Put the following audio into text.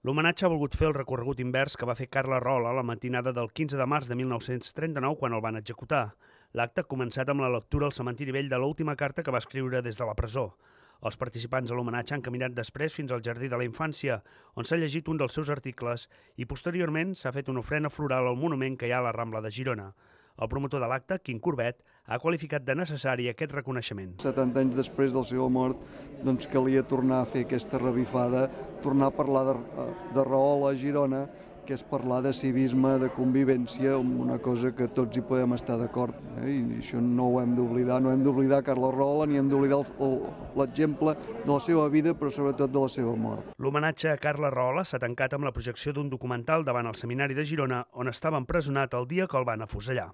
L'homenatge ha volgut fer el recorregut invers que va fer Carles Rahola la matinada del 15 de març de 1939, quan el van executar. L'acte ha començat amb la lectura al cementiri vell de l'última carta que va escriure des de la presó. Els participants a l'homenatge han caminat després fins al Jardí de la Infància, on s'ha llegit un dels seus articles, i posteriorment s'ha fet una ofrena floral al monument que hi ha a la Rambla de Girona. El promotor de l'acte, Quim Corbet, ha qualificat de necessari aquest reconeixement. 70 anys després de la seva mort, doncs calia tornar a fer aquesta revifada, tornar a parlar de Rahola a Girona, que és parlar de civisme, de convivència, una cosa que tots hi podem estar d'acord. I això no ho hem d'oblidar, no hem d'oblidar Carles Rahola, ni hem d'oblidar l'exemple de la seva vida, però sobretot de la seva mort. L'homenatge a Carles Rahola s'ha tancat amb la projecció d'un documental davant el Seminari de Girona, on estava empresonat el dia que el van afusellar.